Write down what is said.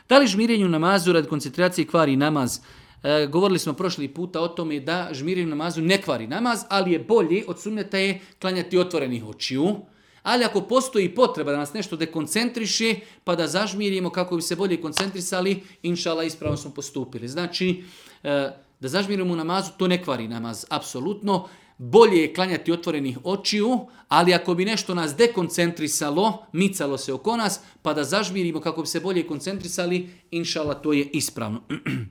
Da li žmirenje u namazu radi koncentracije kvari namaz? Govorili smo prošli puta o tome da žmirenje u namazu ne kvari namaz, ali je bolje od sunneta je klanjati otvorenih očiju. Ali ako postoji potreba da nas nešto dekoncentriše, pa da zažmirimo kako bi se bolje koncentrisali, inšala ispravno smo postupili. Znači, da zažmirimo u namazu, to ne kvari namaz, apsolutno. Bolje je klanjati otvorenih očiju, ali ako bi nešto nas dekoncentrisalo, micalo se oko nas, pa da zažmirimo kako bi se bolje koncentrisali, inšala to je ispravno.